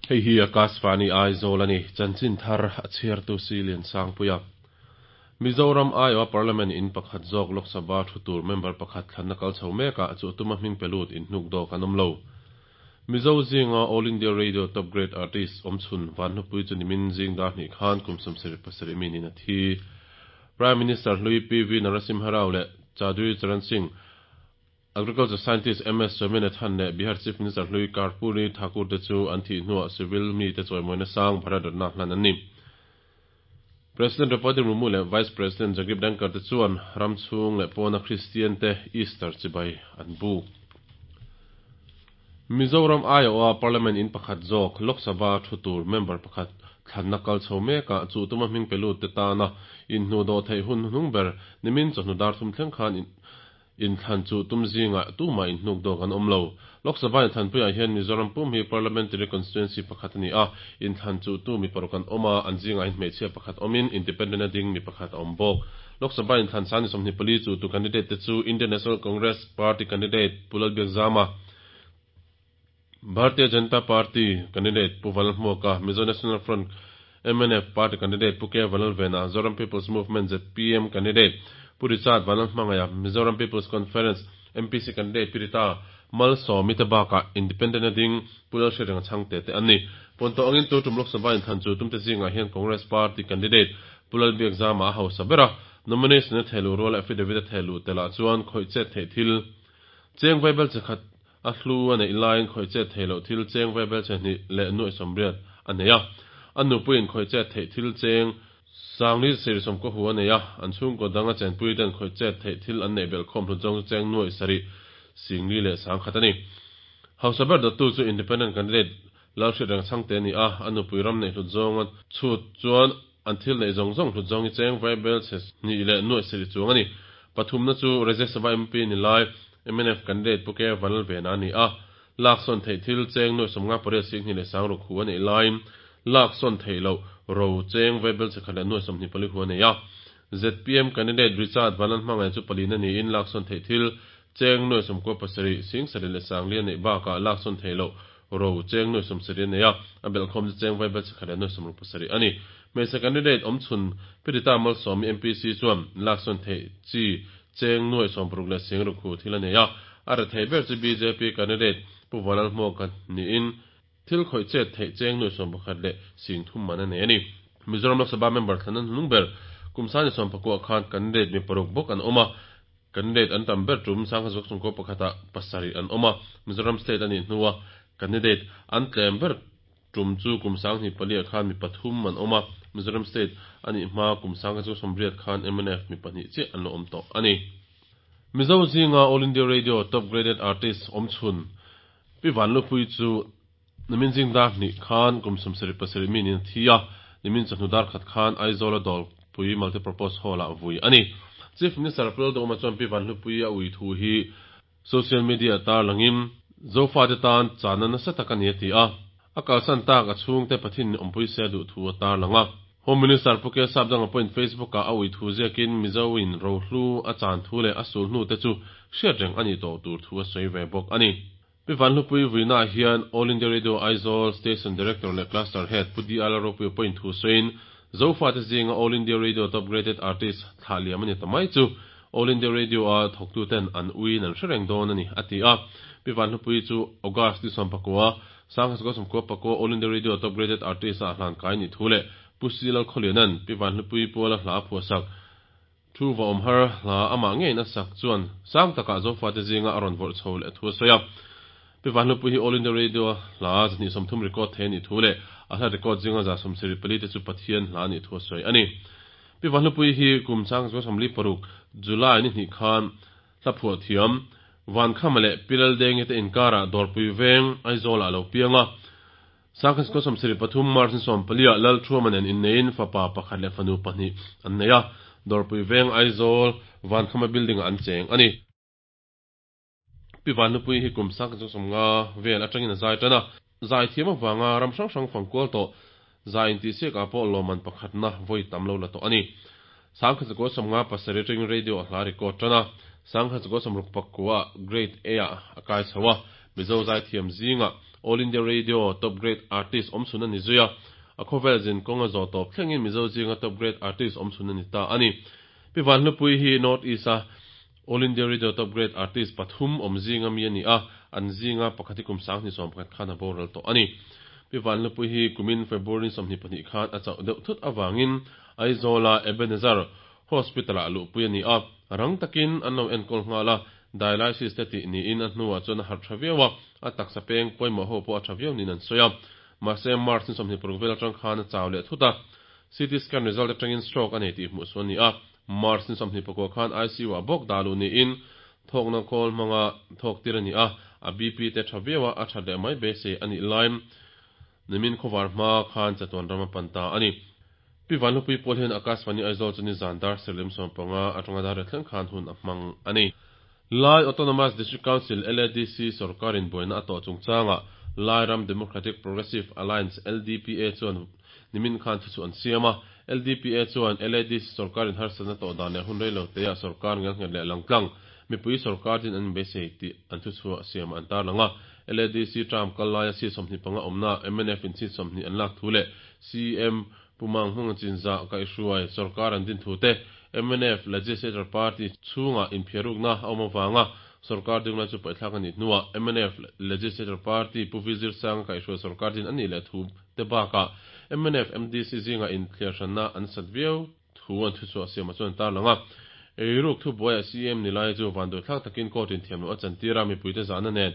Hei hi Akashvani Aizawl a ni. Chanchin thar a chhiartu Silian Sangpuia. Mizoram aiawha Parliament in pakhat zawk Lok Sabha thu tur member pakhat thlanna kal chho mekah chu tuma hming pe lut inhnuk dawk an awm lo. Mizo zinga All India Radio Top Grade Artist awmchhun Vanhlupui chu nimin zing dar hnih khan kum 77 mi niin a thi. Prime Minister hlui PV Narasimha Rao leh Chaudhary Charan Singh, Agriculture Scientist MS Swaminathan leh Bihar Chief Minister hlui Karpoori Thakur te chu an thih hnuah civil mite chawimawina sang Bharat Ratna hlan an ni. President Draupadi Murmu leh Vice President Jagdeep Dhankhar te chuan ram chhung leh pawna Kristian te Easter chibai an buk. Mizoram aiawha Parliament in pakhat zawk Lok Sabha thu tur member pakhat thlanna kal chho mekah chu tuma hming pe lut te tana inhnuh dawh theih hun hnuhnung ber nimin chawhnu dar thum thleng khan Inthlan chu tum zingah tumah inhnuk dawk an awm lo. Lok Sabha inthlanpuiah hian Mizoram pum hi Parliamentary Constituency pakhat a ni a, inthlan chu tu mi paruk an awm a, an zingah hian hmeichhia pakhat awmin Independent a ding mi pakhat a awm bawk. Lok Sabha inthlan sang ni 24 chu tu candidate te chu Indian National Congress Party candidate Pu Lalbiakzama, Bharatiya Janata Party candidate Pu Vanlalhmuaka, Mizo National Front, mnf, Party candidate Pu K Vanlalvena, Zoram People's Movement, zpm, candidate Pu Richard Vanlalhmangaia, Mizoram People's Conference, MPC, candidate Pi Rita Malsawmi te bakah Independent a ding Pu Lalhriatrenga Chhangte te an ni. Pawnto angin tu tum Lok Sabha inthlan chu tumte zingah hian Congress Party candidate Pu Lalbiakzama a hausa ber a, nomination a thehluh ruala affidavit a thehluh telah chuan khawih chet theih thil cheng vaibel chi khat A hlu a neih laiin khawih chet theih loh thil cheng ve belchhe hnih leh nuaih sawmriat a nei a. A nupuiin khawih chet theih thil cheng sangli sir sawmkaw hu a nei a. An chhungkaw dang a chenpui ten khawih chet theih thil an neih belh khawm hlut zawng chu cheng nuaih sarih singli leh sangkhat a ni. Hausa ber dawttu chu Independent candidate Lalhriatreng Chhangte a ni a. A nupui ram neih hlut zawnga chhut chuan an thil neih zawng zawng hlut zawng hi cheng vai belchhe hnih leh nuaih sarih chuang a ni. Pathumna chu Rajya Sabha MP ni lai Mnf candidate Pu K Vanlalvena a ni a, lak sawn theih thil cheng nuaih 58 singhnih leh sangruk hu a neih laiin lak sawn theih loh ro cheng vai belchhe khat leh nuaih 24 hu a nei a. Zpm candidate Richard Vanlalhmangaih chu palina niin lak sawn theih thil cheng nuaih 97 sing sarih leh sangli a neih bakah lak sawn theih loh ro cheng nuaih 70 a nei a, a belhkhawm chu cheng vai belchhe khat leh nuaih 67 a ni. Hmeichhe candidate awmchhun Pirita Malsawmi MPC chuan lak sawn theih chi cheng nuaih 60 leh singruk hu thil a nei a, a rethei ber chu bjp candidate Pu Vanlalhmuaka niin thil khawih chet theih cheng nuaih 11 leh sing thum man a nei a ni. Mizoram Lok Sabha member thlan an hnung ber kum sani 19 khan candidate mi paruk bawk an awm a, candidate an tam ber tum Sangha chhungkaw pakhatah pasarih an awm a, Mizoram state a nih hnua candidate an tlem ber Tum chu kum 2004 khan mi pathum an awm a, Mizoram State a nih hma kum 1980 khan mnf mi pahnih chiah an lo awm tawh a ni. Mizo zinga All India Radio Top Graded Artist awmchhun Pi Vanlupui chu nimin zing dar hnih khan kum 77 mi niin a thi a, nimin chawhnu dar khat khan Aizawl a Dawlpui Multipurpose Hall-ah vui a ni. Chief Minister Pu Lalduhawma chuan Pi Vanlupui a ui thu hi Social media tarlangin Zofate tan chahna nasa tak a ni a ti a, a kalsan tak a chhungte Pathin awmpui se a duh thu a tarlang a. Home Minister Pu K Sapdanga pawhin Facebook ah a ui thu ziakin Mizo in rohlu a chan thu leh a sul hnu te chu hriat reng a nih tawh tur thu a sawi ve bawk a ni. Pi Vanhlupui vuinaah hian All India Radio Aizawl Station Director leh Cluster Head Pu D Lalropuia pawhin thu sawiin Zofate zinga All India Radio Top Graded Artist thlah liam a ni ta mai chu All India Radio-a thawktuten an uiin an hre reng dawn a ni, a ti a. Pi Vanhlupui chu August ni 19, 1994 All India Radio Top Graded Artist-ah hlan kai nih thu leh Pu Si Lalkhawliana'n Pi Vanhlupui puala hla a phuahsak thu va awm har hla amah ngeiin a sak chuan sang takah Zofate zinga a rawn vawrh chho leh thu a sawi a. Pi Vanhlupui hi All India Radio-a hla 230 record thei a nih thu leh a hla record zinga 74 te chu Pathian hla a nih thu a sawi a ni. Pi Vanhlupui hi kum 1946 July ni hnih khan hla phuah thiam Vankhama leh Pi Laldengi te inkarah Dawrpui veng Aizawlah a lo piang a. 1973 March ni 14 ah Lalthuama nen inneiin fapa pakhat leh fanu pahnih an nei a, Dawrpui veng Aizawl Vankhama building-ah an cheng a ni. Pi Vanhlupui hi kum 1950 vel atangin a zai tan a, zai thiam avanga ram hrang hrang fangkual tawh zai intihsiakah pawh lawmman pakhatna vawi tam lo la tawh a ni. 1957 atangin radio a hla record tan a, 1969 ah Grade A ah a kai chho a, Mizo zaithiam zingah. All India Radio Top Grade Artist awmchhun a ni zui a, a khawvel zin kawng a zawh tawp thlengin Mizo zinga Top Grade Artist awmchhun a ni ta a ni. Pi Vanhlupuii hi North East-a All India Radio Top Grade Artist pathum awm zinga mi a ni a, an zinga pakhat hi kum 2011 khan a boral tawh a ni. Pi Vanhlupuii hi kumin February 22 khan a chauh deuh thut avangin Aizawla Ebenezer Hospital-ah luhpui a ni a, rang takin an lo enkawl nghal a, dialysis te tih niin a hnuah chuan a harh tha viau a, a taksa peng pawimawh ho pawh a tha viau niin an sawi a. Mahse, March ni 26 vel atang khan a chau leh thut a, CT scan result atangin stroke a nei tih hmuh suh a ni a. March ni 24 khan ICU-ah bawk dah luh niin thawkna khawl hmanga thawk tir a ni a, a BP te tha viau a, a that leh mai beisei a nih laiin nimin khawvar hma khan chatuan ram a pan ta a ni. Pi Vanlupui pawl hian Akashvani Aizawl chu nizan dar serlim 15 atanga dar riat thleng khan hun a hmang a ni. Lai Autonomous District Council, LADC, sorkarin buaina a tawh chungchangah Lai Ram Democratic Progressive Alliance, LDPA, chuan nimin khan thuchhuah an siam a. LDPA chuan LADC sorkarin harsatna tawh dan leh hun reilo teah sorkar ngelnghet leh langtlang mipui sorkar din an inbeisei tih an thuchhuah siamah an tarlang a. LADC term kal laia seat 25 awmna mnf in seat 20 an lak thu leh CM Pu Manghmunga Chinzah kaihhruai sorkar an din thu te, mnf Legislature Party chhungah inphiarukna a awm avanga sorkar dinglai chu paihthlak a nih hnuah mnf Legislature Party Pu V Zirsanga kaihhruai sorkar din a nih leh thu te bakah mnf MDC zingah inthliarhranna an sat viau thu an thuchhuah siamah chuan an tarlang a. Eiruk thubuaiah CM ni lai chu vanduaithlak takin court inthiamloh a chantir a, mipuite zahna nen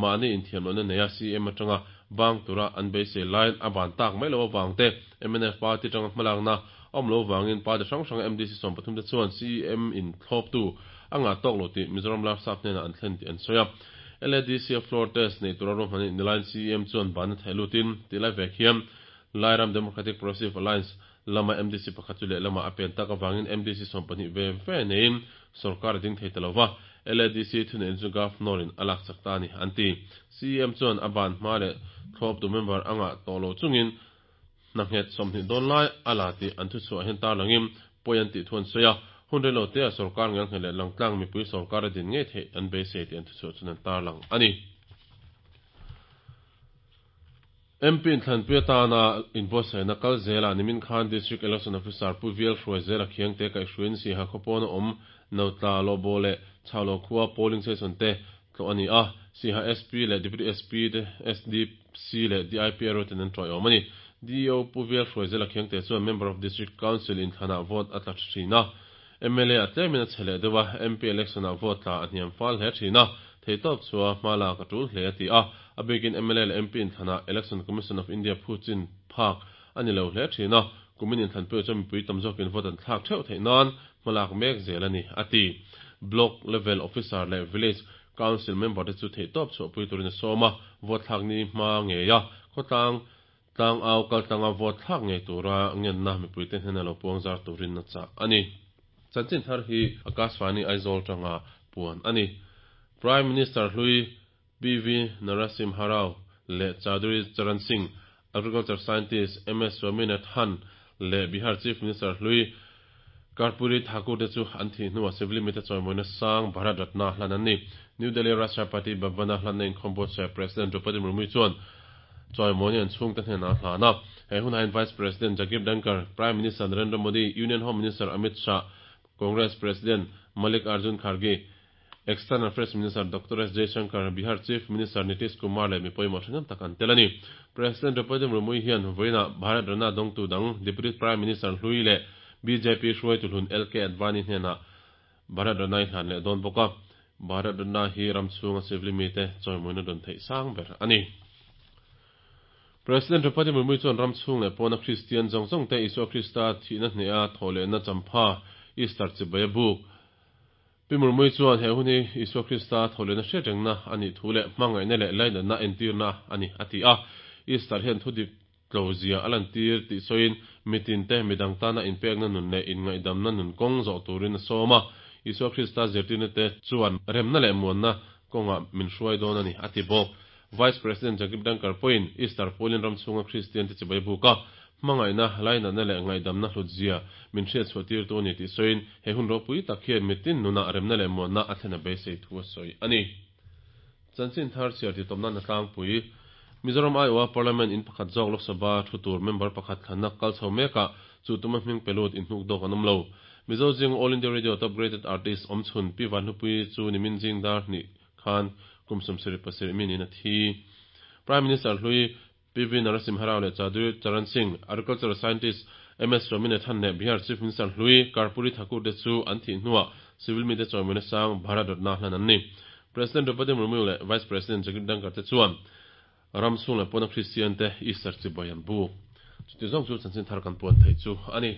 mahni inthiamlohna neia CM atanga bang tura an beisei laiin a ban tak mai loh avang te, mnf party atanga hmalakna a awm loh avangin party hrang hranga MDC 13 te chuan CM in thlawptu a ngah tawk lo tih Mizoram Larsap hnenah an thlen tih an sawi a. LADC-a floor test nei tura ruahman ni laiin CM chuan banna theih lutin tih lai vek hian Lairam Democratic Progressive Alliance lama MDC pakhat chu lehlamah a pen tak avangin MDC 12 ve ve neiin sorkar a ding thei ta lo va, LADC thuneihna chu Governor-in a lak chak ta a ni, an ti. CEM chuan a ban hma leh thlawptu member a ngah tawh lo chungin hna nghet 20 dawn lai a la tih an thuchhuah hian tarlangin pawi an tih thu an sawi a, hun reilo tea sorkar ngelnghet leh langtlang mipui sorkar a din ngei theih an beisei tih an thuchhuah chuan an tarlang a ni. MP inthlanpui atana inbuatsaihna kal zelah nimin khan District Election Officer Pu Vial Hruaizela Khiangte kaihhruaiin Siaha khawpawna awm Notla, Lawbaw leh Chhaulo khua polling station te tlawh a ni a, Siaha SP leh Deputy SP te, SDC leh DIPRO ten an tawiawm a ni. DEO Pu Vial Hruaizela Khiangte chuan Member of District Council inthlanah vote a tla thin a, Mla a tlemin a chhe leh deuh a, MP election-ah vote tla a hniam fal hle thin a, theihtawp chua hma lak a tul hle a ti a. A bikin mla leh MP inthlanah Election Commission of India phu chin phak a ni lo hle thin a, kumin inthlanpuiah chuan mipui tam zawkin vote an thlak theuh theih nan hma lak mek zel a ni, a ti. Block Level Officer leh Village Council member te chu theihtawp chhuahpui turin a sawm a, vote thlak ni hma ngeia khawtlang Tlangau kaltlanga vote thlak ngei tura ngenna mipuite hnena lo puang zar turin a chah a ni. Chanchin thar hi Akashvani Aizawl tanga puan a ni. Prime Minister hlui PV Narasimha Rao leh Chaudhary Charan Singh, Agriculture Scientist MS Swaminathan leh Bihar Chief Minister hlui Karpoori Thakur te chu an thih hnuah civil mite chawimawina sang Bharat Ratna hlan an ni. New Delhi Rashtrapati Bhavan-a hlanna inkhawm buatsaih President Droupadi Murmu chuan chawimawina an chhungte hnenah a hlan a. He hunah hian Vice President Jagdeep Dhankhar, Prime Minister Narendra Modi, Union Home Minister Amit Shah, Congress President Mallikarjun Kharge, External Affairs Minister Doctor S Jaishankar, Bihar Chief Minister Nitish Kumar leh mi pawimawh thahnem tak an tel a ni. President Droupadi Murmu hian vawiinah Bharat Ratna dawngtu dang Deputy Prime Minister hlui leh bjp hruaitu hlun LK Advani hnenah Bharat Ratna i hlan leh dawn bawk a. Bharat Ratna hi ram chhunga civil mite chawimawina dawn theih sang ber a ni. President Droupadi Murmu chuan ram chhung leh pawna Kristian zawng zawng te Isua Krista thihna hneha thawhlehna champha Easter chibai a buk. Pi Murmui chuan he hun hi Isua Krista thawhlehna hriat rengna a nih thu leh hmangaihna leh lainatna entirna a ni a ti a. Easter hian thu dik tlo zia a lantir tih sawiin mitin te midang tana inpekna nun leh inngaihdamna nun kawng zawh turin a sawm a. Isua Krista zirtirna te chuan remna leh muanna kawngah min hruai dawn a ni a ti bawk. Vice President Jagdeep Dhankhar pawhin Easter pualin ram chhunga Kristian te chibai buk a, hmangaihna, lainatna leh ngaihdamna hlutzia min hriatchhuah tirtu a ni tih sawiin he hun ropui tak hian mitin nunah remna leh muanna a thlen a beisei thu a sawi a ni. Chanchin thar chhiar titawp nan a tlangpui. Mizoram aiawha Parliament in pakhat zawk Lok Sabha thu tur member pakhat thlanna kal chho mekah chuh tuma hming pe lut inhnukdawk an awm lo. Mizo zinga All India Radio Top Graded Artist awmchhun Pi Vanhlupuii chu nimin zing dar hnih khan kum 77 mi niin a thi. Prime Minister hlui PV Narasimha Rao leh Chaudhary Charan Singh, Agricultural Scientist MS Swaminathan leh Bihar Chief Minister hlui Karpoori Thakur te chu an thih hnuah civil mite chawimawina sang Bharat Ratna hlan an ni. President Droupadi Murmu leh Vice President Jagdeep Dhankhar te chuan ram chhung leh pawna Kristian te Easter chibai an buk. Chuti zawng chu chanchin thar kan puan theih chu a ni.